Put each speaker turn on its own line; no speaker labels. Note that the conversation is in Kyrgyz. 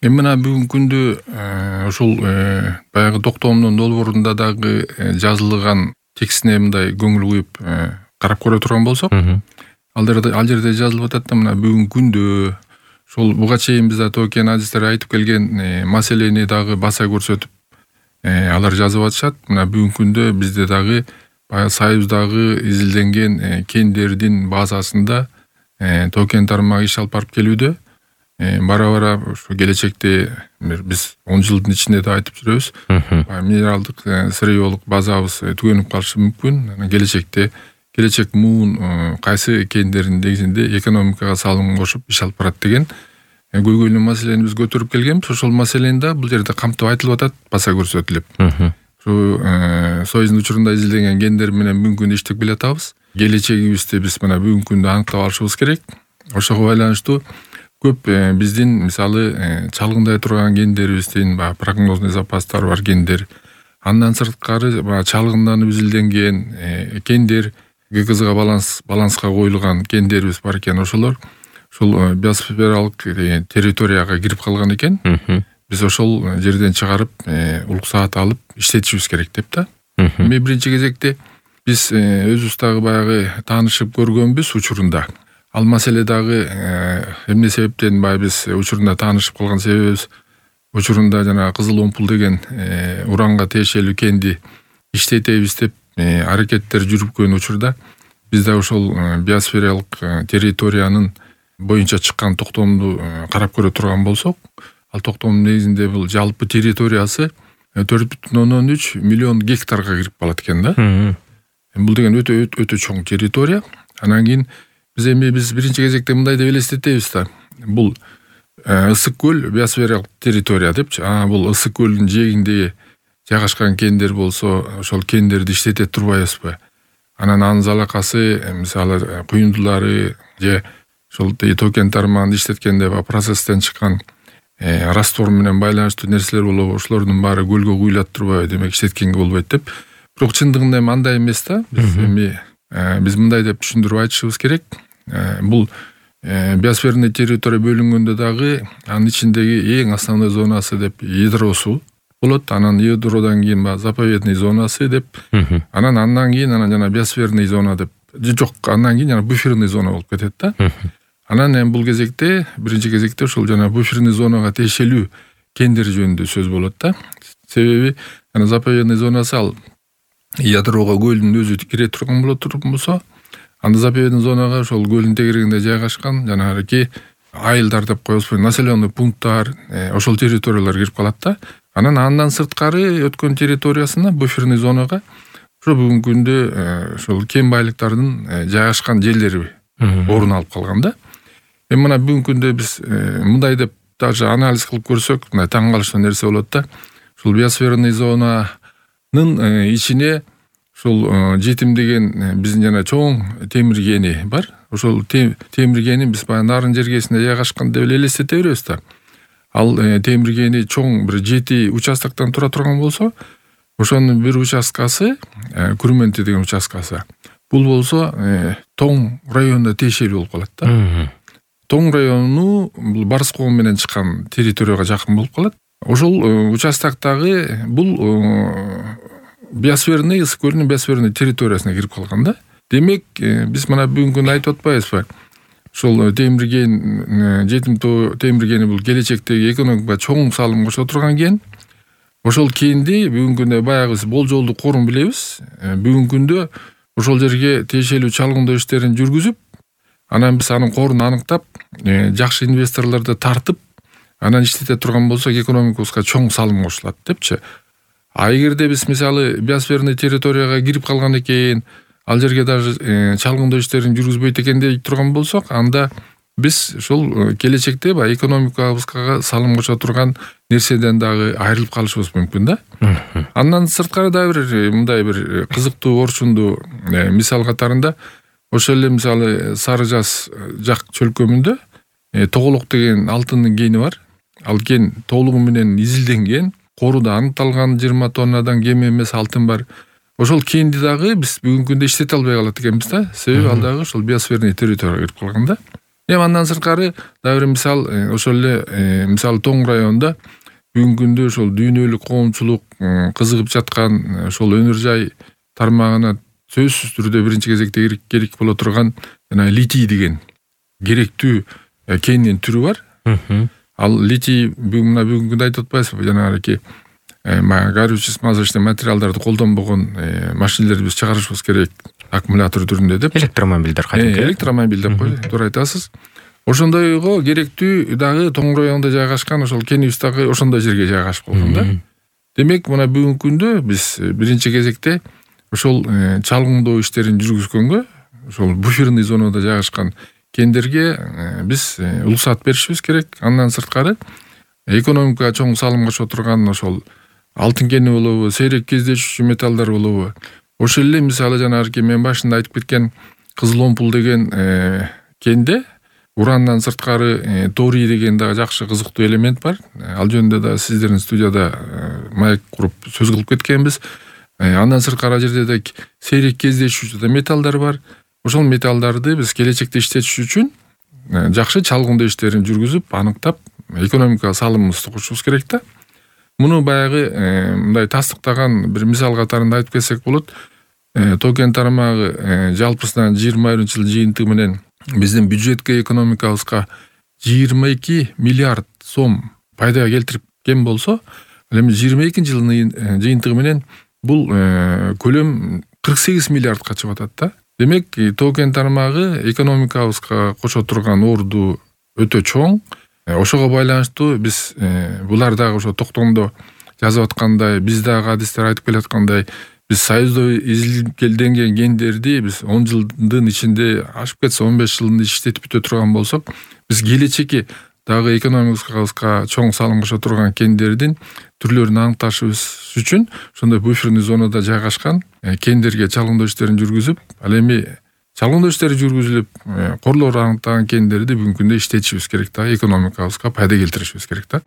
Эми мына бүгүнкү күндө ушул баягы токтомдун долбоорунда дагы жазылган текстине мындай көңүл куюп карап көрө турган болсок, ал жерде жазылып атат да, мына бүгүнкү күндө ушул буга чейин биз Токен адистер айтып келген маселени дагы баса көрсөтүп алар жазып атышат. Мына бүгүнкү күндө бизде дагы баягы Союздагы изилденген кендердин базасында токен тармагы иш алып барып келүүдө. Бара ушу келечекте биз 10 жылдын ичинде да айтып жүрөбүз. Минералдык сырьеолук базабыз түгөнүп калышы мүмкүн. Келечек муун кайсы кендердин негизинде экономикага салым кошуп иш алып барат деген көйгөйлүү маселени биз көтөрүп келгенбиз. Ошол маселени да бул жерде камтып айтылып атат, баса көрсөтүлүп. Ушу Союздун учурунда изилденген кендер менен бүгүнкү күндө иштеп келатабыз. Келечегибизди биз мына бүгүнкү күндө аныктап алышыбыз керек. Ошого байланыштуу көп биздин мисалы чалгындай турган кендерибиздин прогнозный запастары бар кендер, андан сырткары чалгынданып изилденген кендер, ГКЗга баланска коюлган кендерибиз бар экен. Ошолор ушул биосфералык территорияга кирип калган экен. Биз ошол жерден чыгарып, уруксаат алып иштетишибиз керек деп да. Эми биринчи кезекте биз өзүбүз дагы баягы таанышып көргөнбүз учурунда. Ал маселе дагы эмне себептен биз учурунда таанышып калган себебибиз, учурунда жана Кызыл Омпул деген уранга тиешелүү кенди иштетебиз деп аракеттер жүрүпкөн учурда биз да ошол биосфералык территориянын боюнча чыккан токтомду карап көрө турган болсок, ал токтомдун негизинде бул жалпы территориясы 4,3 миллион гектарга кирип калат экен да. Бул деген өтө чоң территория. Анан кийин биз биринчи кезекте мындай деп элестетебиз да. Бул ысык көл биосфералык территория депчи. Бул ысык көлдүн жээгинде жайгашкан кендер болсо, ошол кендерди иштете турбайбызбы? Анан анын залакасы, мисалы куюндулары же ошол токен тармагын иштеткенде процесстен чыккан раствор менен байланыштуу нерселер болобу, ошолордун баары көлгө куюлат турбайбы? Демек иштеткенге болбойт деп. Бирок чындыгында эми андай эмес да. Биз мындай деп түшүндүрүп айтышыбыз керек. Бул биосферный территория бөлүнгөндө дагы анын ичиндеги эң основной зонасы деп ядросу болот. Анан ядродон кийин заповедный зонасы деп, андан кийин жана биосферный зона деп, жок, андан кийин жана буферный зона болуп кетет да. Анан бул кезекте биринчи кезекте ошол жана буферный зонага тиешелүү кендер жөнүндө сөз болот да. Себеби заповедный зонасы ал ядрого көлдүн өзү кире турган болсо, анда заповедный зонага ошол көлдүн тегерегинде жайгашкан жанагы айылдар деп коебузбу, населенный пункттар, ошол территориялар кирип калат да. Андан сырткары өткөн территориясына буферный зонага ошо бүгүнкү күндө ошол кен байлыктардын жайгашкан жерлери орун алып калган да. Эми мына бүгүнкү күндө биз мындай деп даже анализ кылып көрсөк, мына таң калыштуу нерсе болот да. Ушул биосферный зонанын ичине ушул жетим деген биздин жана чоң темир кени бар. Ошол темир кени биз баягы нарын жергесинде жайгашкан деп элестете беребиз да. Ал темир кени чоң бир 7 участоктон тура турган болсо, ошонун бир участкасы, Күрменти деген участкасы. Бул болсо Тоң районуна тиешелүү болуп калат да. Тоң району бул Барыс кого менен чыккан территорияга жакын болуп калат. Ошол участоктогу бул биосферный, ысык көлдүн биосферный территориясына кирип калган да. Демек, биз мына бүгүнкү күндө айтып атпайбызбы? Ошол темир кен, жетим темир кени бул келечектеги экономикага чоң салым кошо турган кен. Ошол кенди бүгүнкү күндө баягы биз болжолдуу корун билебиз. Бүгүнкү күндө ошол жерге тиешелүү чалгындоо иштерин жүргүзүп, анан биз анын корун аныктап, жакшы инвесторлорду тартып, анан иштете турган болсок, экономикабызга чоң салым кошулат депчи. Эгерде биз мисалы биосферный территорияга кирип калган экен, ал жерге даже чалгындоо иштерин жүргүзбөйт экен деп турган болсок, анда биз ушул келечекте экономикабызга салым кошо турган нерседен дагы айрылып калышыбыз мүмкүн да. Андан сырткары да мындай бир кызыктуу орчундуу мисал катарында ошол эле мисалы Сары Жаз жак чөлкөмүндө Тоголок деген алтындын кени бар. Ал кен толугу менен изилденген, коруда аныкталган 20 тоннадан кем эмес алтын бар. Ошол кенди дагы биз бүгүнкү күндө иштете албай калат экенбиз да. Себеби ал дагы ошол биосферный территорияга кирип калган да. Эми андан сырткары дагы бир мисал ошол эле мисалы Тоң районунда бүгүнкү күндө ошол дүйнөлүк коомчулук кызыгып жаткан ошол өнөр жай тармагына сөзсүз түрдө биринчи кезекте керек боло турган жана литий деген керектүү кендин түрү бар. Ал литий бүгүнкү күндө айтып атпайсызбы, жанагы горючий смазочный материалдарды колдонбогон машинелерди биз чыгарышыбыз керек, аккумулятор түрүндө деп.
Электромобилдер кайтып
электромобиль деп койду, туура айтасыз. Ошондойго керектүү дагы Тоң районунда жайгашкан ошол кенибиз дагы ошондой жерге жайгашып калган да. Демек, мына бүгүнкү күндө биз биринчи кезекте ошол чалгындоо иштерин жүргүзгөнгө ошол буферный зонада жайгашкан кендерге биз уруксат беришибиз керек. Андан сырткары экономикага чоң салым кошо турган ошол алтын кени болобу, сейрек кездешүүчү металлдар болобу, ошол эле мисалы жанагы мен башында айтып кеткен кызыл омпул деген кенде урандан сырткары торий деген дагы жакшы кызыктуу элемент бар. Ал жөнүндө да сиздердин студияда маек куруп сөз кылып кеткенбиз. Андан сырткары жерде да сейрек кездешүүчү металлдар бар. Ошол металлдарды биз келечекте иштетиш үчүн жакшы чалгындоо иштерин жүргүзүп, аныктап, экономикага салымыбызды кошушубуз керек да. Муну баягы мындай тастыктаган бир мисал катарында айтып кетсек болот. Токен тармагы жалпысынан 20-жыл жыйынтыгы менен биздин бюджетке, экономикабызга 22 миллиард сом пайда келтирген болсо, эми 22-жылдын жыйынтыгы менен бул көлөм 48 миллиардка чыгып атат да. Демек, токен тармагы экономикабызга кошо турган орду өтө чоң. Ошого байланыштуу биз булар дагы ошо токтомдо жазып аткандай, биз дагы адистер айтып келаткандай, биз союзда изилденген кендерди биз 10 жылдын ичинде, ашып кетсе 15 жылдын иштетип бүтө турган болсок, биз келечекки дагы экономикабызга чоң салым кошо турган кендердин түрлөрүн аныкташыбыз үчүн ошондой буферный зонада жайгашкан кендерге чалгындоо иштерин жүргүзүп, ал эми чалгындоо иштери жүргүзүлүп, корлор аныктаган кендерди бүгүнкү күндө иштетишибиз керек да, экономикабызга пайда келтиришибиз керек да.